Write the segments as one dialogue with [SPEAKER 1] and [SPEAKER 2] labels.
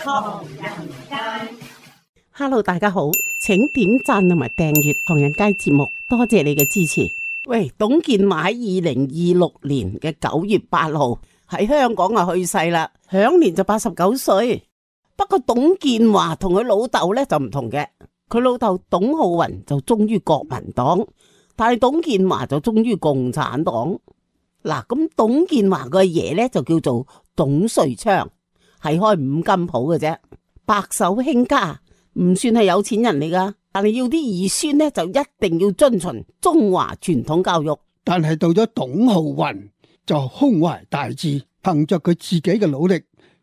[SPEAKER 1] 唐人街。
[SPEAKER 2] Hello， 大家好，請點讚同埋訂閱唐人街節目，多謝你嘅支持。喂，董建華喺2026年嘅9月8號喺香港去世啦，享年就89歲。不過董建華同佢老豆咧就唔同嘅，佢老豆董浩雲就忠於國民黨，但係董建華就忠於共產黨。嗱，咁董建華個爺咧就叫做董瑞昌，係開五金鋪嘅啫，白手興家。唔算係有錢人嚟噶，但係要啲兒孫呢，就一定要遵循中華傳統教育。
[SPEAKER 3] 但係到咗董浩雲就胸懷大志，憑着佢自己嘅努力，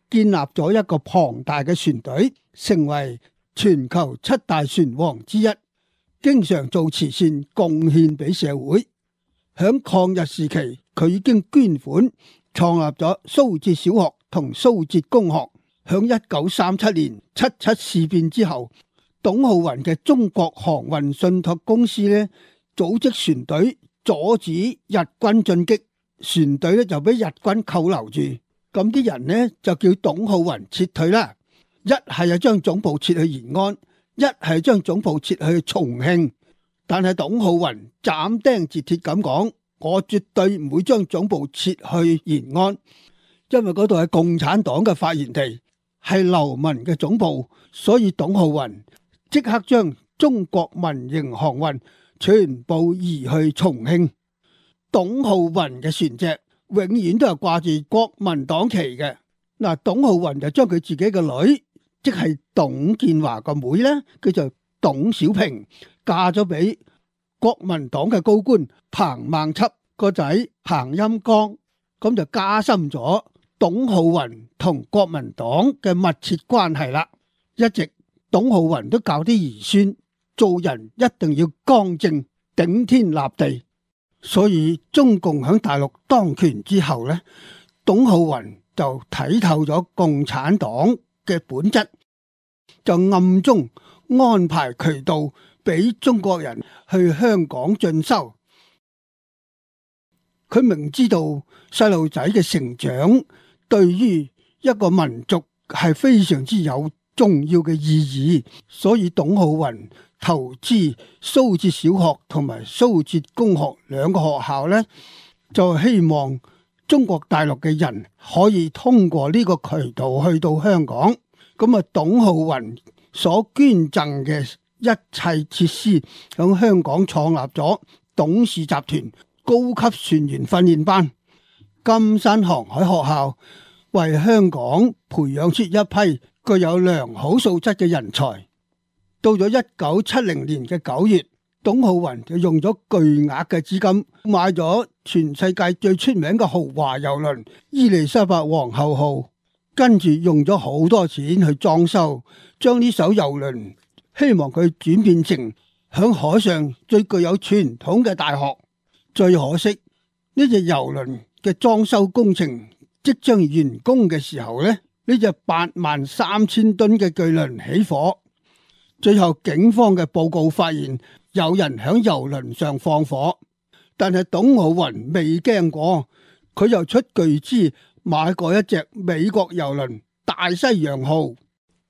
[SPEAKER 3] 建立咗一個龐大嘅船隊，成為全球7大船王之一，經常做慈善貢獻俾社會。響抗日時期，佢已經捐款創立咗蘇浙小學同蘇浙公學。響1937年77事變之後，董浩雲嘅中國航運信託公司咧，組織船隊阻止日軍進擊，船隊咧就俾日軍扣留住，咁啲人呢，就叫董浩雲撤退啦。一係將總部撤去延安，一係將總部撤去重慶。但係董浩雲斬釘截鐵咁講，我絕對唔會將總部撤去延安，因為嗰度係共產黨嘅發源地，係流民嘅總部，所以董浩雲即刻將中國民營航運全部移去重慶。董浩雲嘅船隻永遠都係掛住國民黨旗嘅。嗱，董浩雲就將佢自己嘅女，即係董建華個妹咧，叫做董小平，嫁咗俾國民黨嘅高官彭孟緝個仔彭欽綱，咁就加深咗董浩雲同國民黨嘅密切關係啦。一直董浩雲都教啲兒孫做人一定要剛正頂天立地，所以中共響大陸當權之後呢，董浩雲就睇透咗共產黨嘅本質，就暗中安排渠道俾中國人去香港進修。佢明知道細路仔嘅成長對於一個民族係非常之有重要嘅意義，所以董浩雲投資蘇浙小學同埋蘇浙公學兩個學校呢，就希望中國大陸嘅人可以通過呢個渠道去到香港。咁啊，董浩雲所捐贈嘅一切設施響香港創立咗董氏集團高級船員訓練班、金山航海學校，為香港培養出一批具有良好素質嘅人才。到咗1970年嘅9月，董浩雲就用咗巨額嘅資金買咗全世界最出名嘅豪華郵輪伊麗莎白皇后號，跟住用咗好多錢去裝修，將呢艘郵輪希望佢轉變成響海上最具有傳統嘅大學。最可惜呢隻郵輪嘅裝修工程即將完工嘅時候呢隻83000噸嘅巨輪起火。最後警方嘅報告發現有人響郵輪上放火，但係董浩雲未驚過，佢又出巨資買過一隻美國郵輪大西洋號。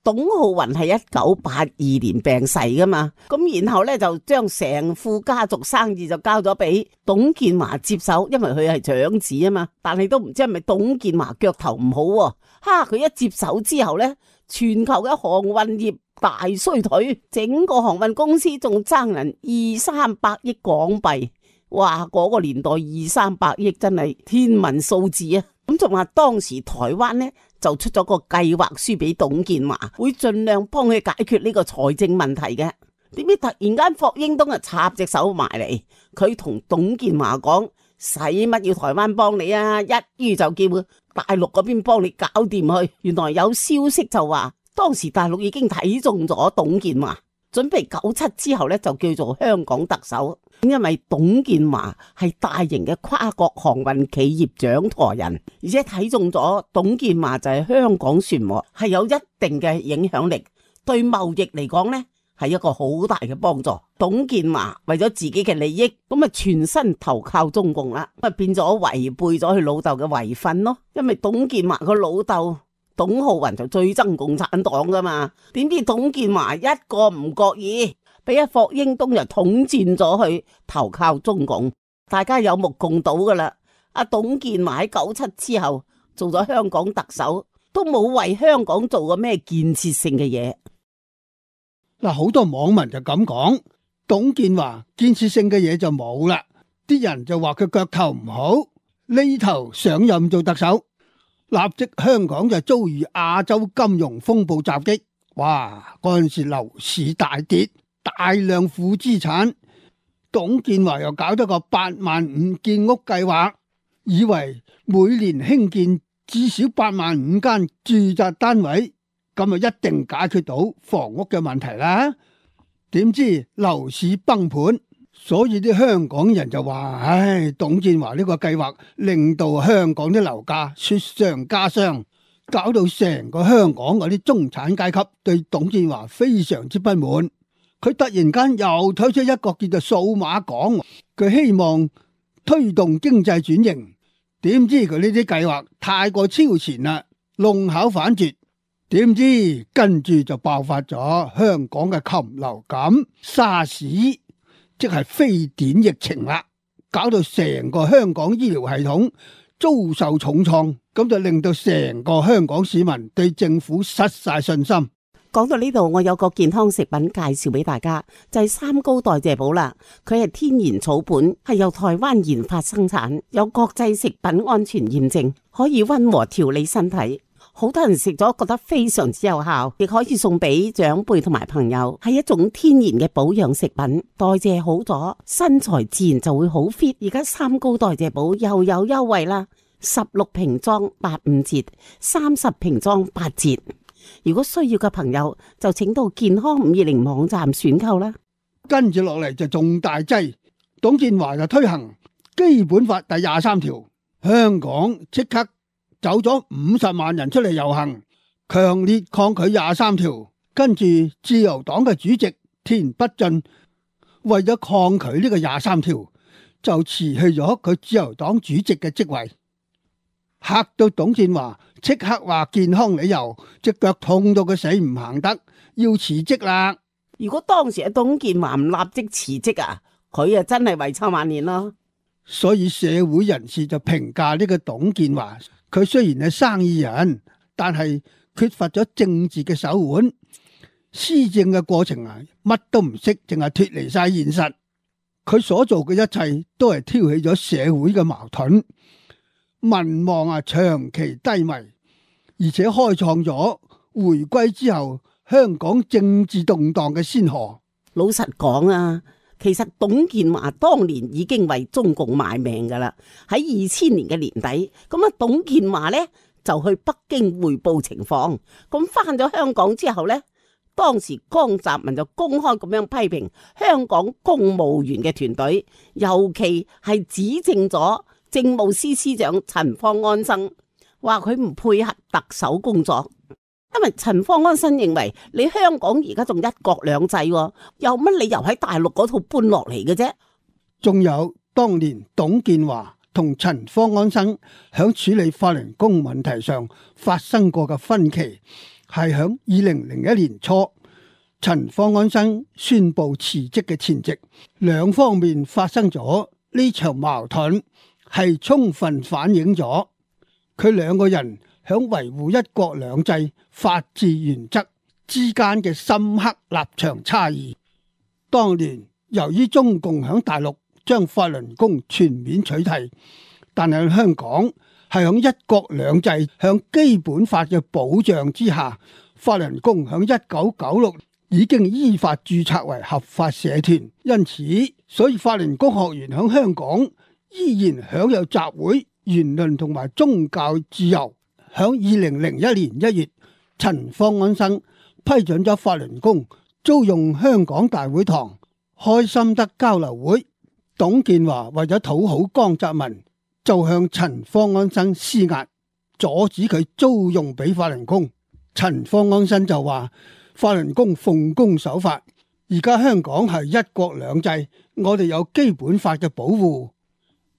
[SPEAKER 2] 董浩雲係1982年病逝噶嘛，咁然後咧就將成副家族生意就交咗俾董建華接手，因為佢係長子啊嘛。但係都唔知係咪董建華腳頭唔好喎，佢一接手之後咧，全球嘅航運業大衰退，整個航運公司仲爭人200-300億港幣。哇！嗰個年代200-300億真係天文數字啊！咁仲話當時台灣呢就出咗個計劃書俾董建華，會盡量幫佢解決呢個財政問題嘅。點知突然間霍英東啊插隻手埋嚟，佢同董建華講：使乜要台灣幫你啊？一於就叫大陸嗰邊幫你搞掂去。原來有消息就話，當時大陸已經睇中咗董建華，準備97之後呢就叫做香港特首。因為董建華係大型嘅跨國航運企業掌舵人，而且睇中咗董建華就係香港船務係有一定嘅影響力，對貿易嚟講呢係一個好大嘅幫助。董建華為咗自己嘅利益，咁啊全身投靠中共啦，咁啊變咗違背咗佢老豆嘅遺訓咯。因為董建華個老豆董浩雲就最憎共產黨噶嘛，點知董建華一個唔覺意，俾阿霍英東就統戰咗去投靠中共，大家有目共睹噶啦。阿董建華喺97之後做咗香港特首，都冇為香港做過咩建設性嘅嘢。
[SPEAKER 3] 嗱，好多網民就咁講，董建華建設性嘅嘢就冇啦，啲人就話佢腳頭唔好，呢頭上任做特首，立即香港就遭遇亞洲金融風暴襲擊，哇！嗰陣時樓市大跌，大量負資產，董建華又搞咗個85000建屋計劃，以為每年興建至少85000間住宅單位，咁就一定解決到房屋嘅問題啦。點知樓市崩盤，所以啲香港人就話：唉，董建華呢個計劃令到香港啲樓價雪上加霜，搞到成個香港嗰啲中產階級對董建華非常之不滿。佢突然間又推出一個叫做數碼港，佢希望推動經濟轉型。點知佢呢啲計劃太過超前啦，弄巧反拙。點知跟住就爆發咗香港嘅禽流感、沙士，即係非典疫情啦，搞到成個香港醫療系統遭受重創，咁就令到成個香港市民對政府失晒信心。
[SPEAKER 2] 講到呢度，我有個健康食品介紹俾大家，就係三高代謝寶啦。佢係天然草本，係由台灣研發生產，有國際食品安全驗證，可以溫和調理身體。好多人食咗覺得非常之有效，亦可以送俾長輩同埋朋友，係一種天然嘅保養食品。代謝好咗，身材自然就會好 fit。而家三高代謝寶又有優惠啦，16瓶裝85折，30瓶裝8折。如果需要嘅朋友就請到健康520網站選購啦。
[SPEAKER 3] 跟住落嚟就重大劑，董建華就推行基本法第23條，香港即刻走咗50萬人出嚟遊行，強烈抗拒23條。跟住自由黨嘅主席田北俊為咗抗拒呢個23條，就辭去咗佢自由黨主席嘅職位，嚇到董建華即刻話健康理由，隻腳痛到佢死唔行得，要辭職啦。
[SPEAKER 2] 如果當時阿董建華唔立即辭職啊，佢啊真係遺臭萬年咯。
[SPEAKER 3] 所以社會人士就評價呢個董建華，佢雖然係生意人，但係缺乏咗政治嘅手腕，施政嘅過程啊乜都唔識，淨係脫離晒現實。佢所做嘅一切都係挑起咗社會嘅矛盾，民望啊長期低迷，而且開創咗回歸之後香港政治動盪嘅先河。
[SPEAKER 2] 老實講啊，其實董建華當年已經為中共賣命噶啦。喺2000年嘅年底，咁啊董建華呢就去北京匯報情況。咁翻咗香港之後呢，當時江澤民就公開咁樣批評香港公務員嘅團隊，尤其係指證咗政務司司長陳方安生，話佢唔配合特首工作。因為陳方安生認為你香港而家仲一國兩制，有乜理由喺大陸嗰套搬落嚟嘅啫？
[SPEAKER 3] 仲有當年董建華同陳方安生響處理法輪功問題上發生過嘅分歧，係響2001年初陳方安生宣布辭職嘅前夕，兩方面發生咗呢場矛盾，係充分反映咗佢兩個人響維護一國兩制法治原則之間嘅深刻立場差異。當年由於中共響大陸將法輪功全面取締，但係香港係響一國兩制向基本法嘅保障之下，法輪功響1996已經依法註冊為合法社團，因此所以法輪功學員響香港依然享有集會、言論同埋宗教自由。響2001年1月，陳方安生批准咗法輪功租用香港大會堂開心得交流會。董建華為咗討好江澤民，就向陳方安生施壓，阻止佢租用俾法輪功。陳方安生就話法輪功奉公守法，而家香港係一國兩制，我哋有基本法嘅保護，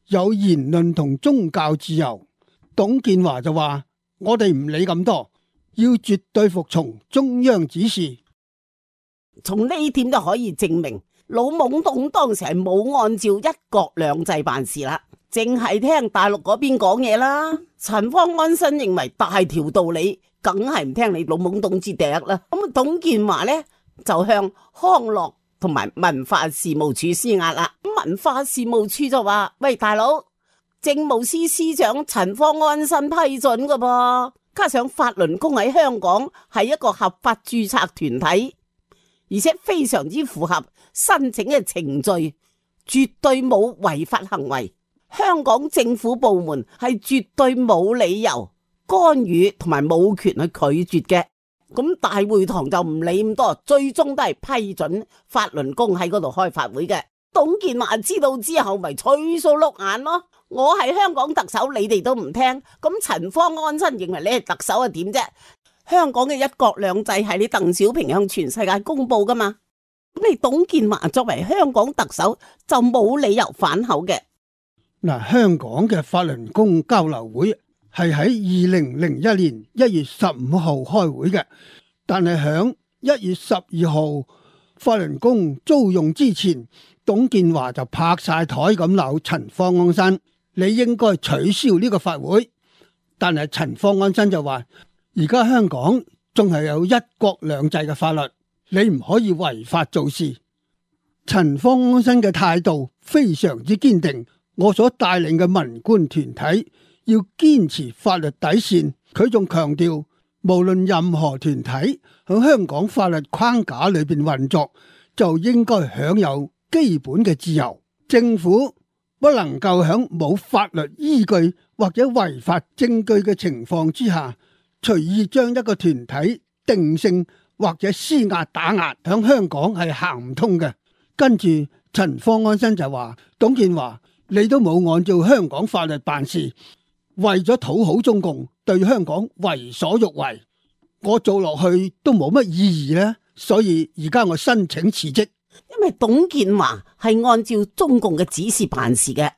[SPEAKER 3] 有言論同宗教自由。董建華就話我哋唔理咁多，要絕對服從中央指示。
[SPEAKER 2] 從呢點就可以證明，老懵懂當時係冇按照一國兩制辦事啦，淨係聽大陸嗰邊講嘢啦。陳方安生認為大條道理，梗係唔聽你老懵懂之笛啦。咁董建華呢，就向康樂同埋文化事務處施壓啦。文化事務處就話：喂，大佬，政務司司長陳方安生批准噶噃，加上法輪功喺香港係一個合法註冊團體，而且非常之符合申請嘅程序，絕對冇違法行為。香港政府部門係絕對冇理由干預同埋冇權去拒絕嘅。咁大會堂就唔理咁多，最終都係批准法輪功喺嗰度開法會嘅。董建華知道之後咪吹數碌眼咯。我係香港特首，你哋都唔聽，咁陳方安生認為你係特首係點啫？香港嘅一國兩制係你鄧小平向全世界公布噶嘛？咁你董建華作為香港特首就冇理由反口嘅。
[SPEAKER 3] 嗱，香港嘅法輪功交流會係喺2001年1月15號開會嘅，但係響1月12號法輪功租用之前，董建華就拍晒台咁鬧陳方安生，你應該取消呢個法會。但係陳方安生就話：而家香港仲係有一國兩制嘅法律，你唔可以違法做事。陳方安生嘅態度非常之堅定，我所帶領嘅文官團體要堅持法律底線。佢仲強調，無論任何團體喺香港法律框架裏邊運作，就應該享有基本嘅自由。政府不能夠喺冇法律依據或者違法證據嘅情況之下，隨意將一個團體定性或者施壓打壓，喺香港係行唔通嘅。跟住陳方安生就話：董建華，你都冇按照香港法律辦事，為咗討好中共，對香港為所欲為，我做落去都冇乜意義呢。所以而家我申請辭職。
[SPEAKER 2] 因為董建華係按照中共嘅指示辦事嘅，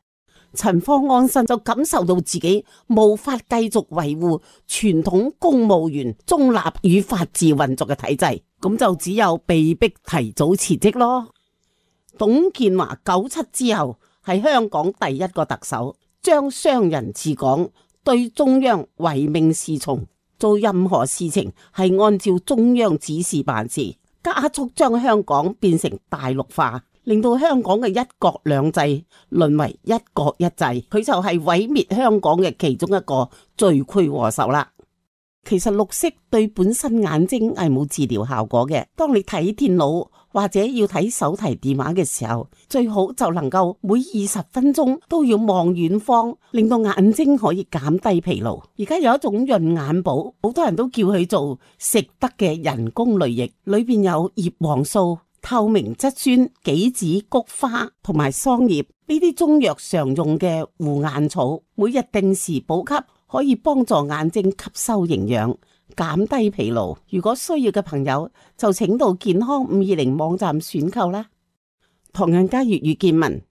[SPEAKER 2] 陳方安生就感受到自己無法繼續維護傳統公務員中立與法治運作嘅體制，咁就只有被逼提早辭職咯。董建華97之後係香港第一個特首，將商人治港，對中央唯命是從，做任何事情係按照中央指示辦事，加速將香港變成大陸化，令到香港嘅一國兩制淪為一國一制，佢就係毀滅香港嘅其中一個罪魁禍首啦。其實綠色對本身眼睛係冇治療效果嘅，當你睇電腦或者要睇手提電話嘅時候，最好就能夠每20分鐘都要望遠方，令到眼睛可以減低疲勞。而家有一種潤眼寶，好多人都叫佢做食得嘅人工淚液，裏邊有葉黃素、透明質酸、杞子、菊花同埋桑葉呢啲中藥常用嘅護眼草，每日定時補給，可以幫助眼睛吸收營養，減低疲勞。如果需要嘅朋友就請到健康520網站選購啦。唐人街粵語見聞，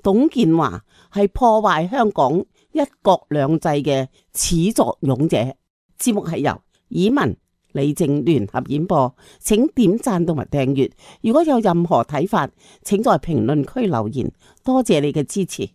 [SPEAKER 2] 董建華係破壞香港一國兩制嘅始作俑者。節目係由以文、李靜聯合演播，請點讚同埋訂閱。如果有任何睇法，請在評論區留言。多謝你嘅支持。